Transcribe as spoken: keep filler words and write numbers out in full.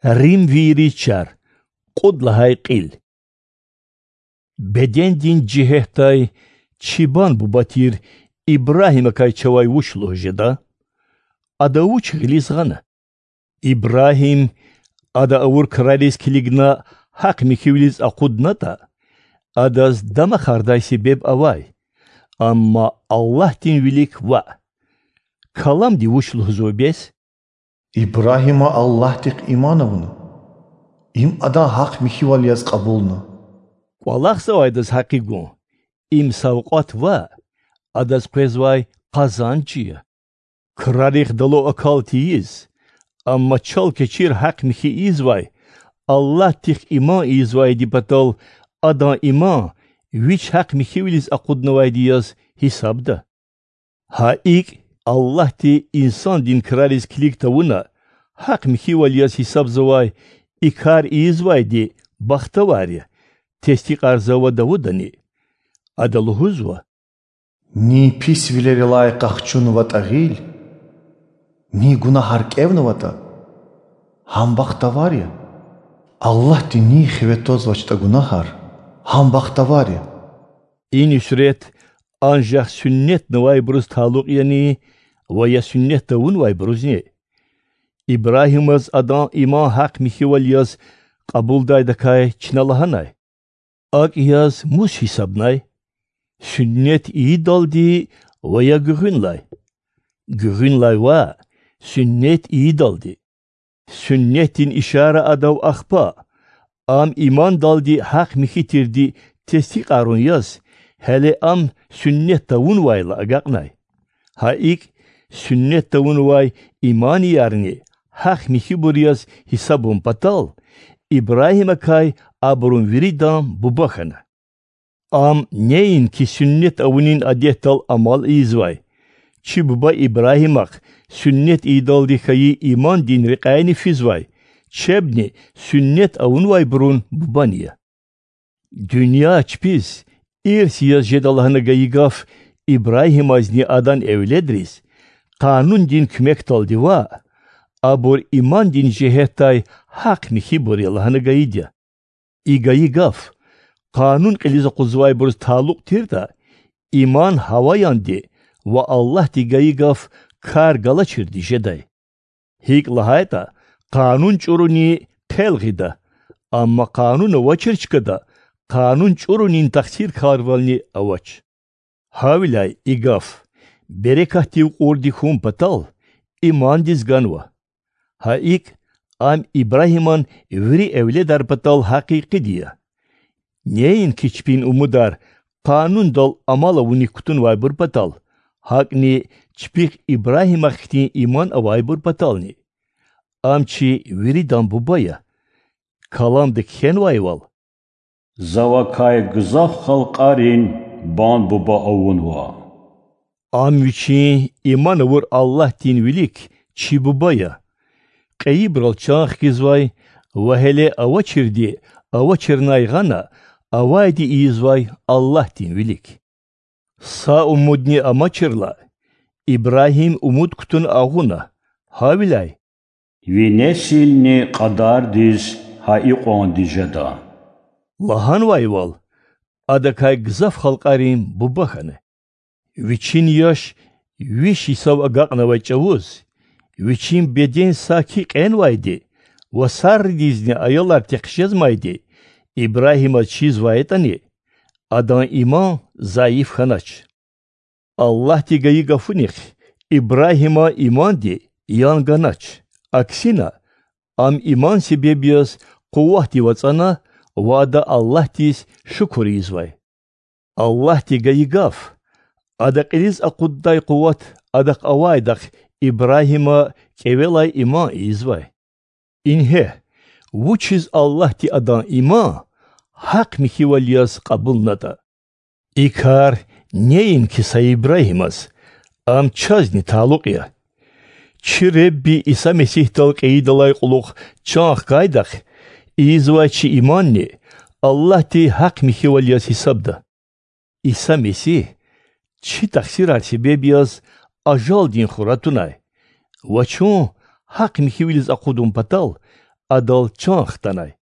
Римвийриз чар. Кьуд лагьай кьил. Бедендин жигьетдай чибан буба тир Ибрагьимакай чавай вуч лугьуз жеда? Ада вуч гъилиз гъана? Ибрагьим, ада авур крариз килигна, гьахъ-михьивилиз акъуднатӀа, адаз дамахардай себеб авай. Амма Аллагьдин вилик ваъ. Каламди вуч лугьузва бес? Ибрагьима Аллагьдихъ иман авуна. Им адан гьахъ-михьивал яз кьабулна. КӀвалахзавайдаз гьакъи гун. Им савкьват ваъ, адаз къвезвай къазанж я. Крарихъ дало акал тийиз, амма чал-кечир гьахъ-михьи ийизвай, Аллагьдихъ иман ийизвайди патал адан иман вич гьахъ-михьивилиз акъуднавайди яз гьисабда. Гьа икӀ, Аллагьди инсандин крариз килиг тавуна гьахъ-михьивал яз гьисабзавай и кар ийизвайди бахтавар я, тестикьарзава Давудани. Ада лугьузва: Ни писвилерилай къахчунватӀа гъил, ни гунагьар кӀевнаватӀа, гьам бахтавар я. Аллагьди ни хиве твазвачтӀа гунагьар, гьам бахтавар я. И нуьсрет анжах суьннетнавайбуруз талукь яни, ва я суьннет тавунвайбурузни? Ибрагьимаз адан иман гьахъ-михьивал яз кьабулдайдакай чна лагьанай? АкӀ яз мус гьисабнай? Суьннет ийидалди ва я гуьгъуьнлай? Гуьгъуьнлай ваъ, суьннет ийидалди. Суьннетдин ишара адав ахпа, ам имандалди гьахъ-михьи тирди тестикьарун яз, гьеле ам суьннет тавунвайла агакьнай. Гьа икӀ, суьннет тавунвай иманиярни гьахъ-михьибур яз гьисабун патал, Ибрагьимакай абурун виридан буба хьана. Ам неинки суьннет авунин адетдал амал ийизвай, чи буба Ибрагьимахъ суьннет ийидалди хьайи имандин рекьяйни физвай, чебни суьннет авунвайбурун бубани я. Дуьнья чпиз ирс яз жеда лагьана гайи гаф Ибрагьимазни адан эвледриз къанундин куьмекдалди ваъ, абур имандин жигьетдай гьахъ-михьибур я лагьана гайид я. И гайи гаф къанун кьилиз акъудзавайбуруз талукь тиртӀа, иман гьаваянди ва Аллагьди гайи гаф кар галачирди жедай. ГьикӀ лагьайтӀа, къанун чӀуруни хъел гъида, амма къанун авачир чкада къанун чӀурунин тахсиркарвални авач. Гьавиляй и гаф берекатдив кьурди хьун патал имандиз ганва. Гьа икӀ, ам Ибрагьиман вири эвледар патал гьакъикъиди я. Неинки чпин умудар къанундал амал авуник кутунвайбур патал, гьакӀни чпихъ Ибрагьимахъ хьтин иман авайбур патални. Ам чи виридан буба я. Каламда кхьенвайвал: За вакай гзаф халкьарин бан-буба авунва. Ам вичин иман авур Аллагьдин вилик чи буба я. Кьейибурал чан хкизвай ва гьеле авачирди авачирнай гъана авайди ийизвай Аллагьдин вилик. Са умудни амачирла, Ибрагьим умуд кутуна агъуна, гьавиляй: Ви несилни кьадардиз гьа икьванди жеда лагьанвайвал, адакай гзаф халкьарин буба хьана. Вичин яш виш йисав агакьнавай чӀавуз, вичин беден саки кьенвайди ва сарридизни аялар текъижезмайди Ибрагьимаз чизвай ятӀани, адан иман зайиф хьанач. Аллагьди гайи гафунихъ Ибрагьиман иманди ян ганач, аксина, ам иман себеб яз къуватдив ацӀана ва ада Аллагьдиз шукур ийизвай. Аллагьди гайи гаф, Ада кьилиз акъуддай къуват адахъ авайдахъ Ибрагьима кӀевелай иман ийизвай. Ингье, вучиз Аллагьди адан иман гьахъ михьивал яз кьабулнатӀа. И кар неинки са Ибрагьимаз, ам чазни талукь я. Чи Ребби Иса Месигьдал кьейидалай кьулухъ чан хкайдахъ, ийизвай чи иманни Аллагьди гьахъ михьивал яз гьисабда. Иса Месигь чи тахсирар себеб яз ажалдин хура тунай ва чун гьахъ михьивилиз акъудун патал адал чан хтанай.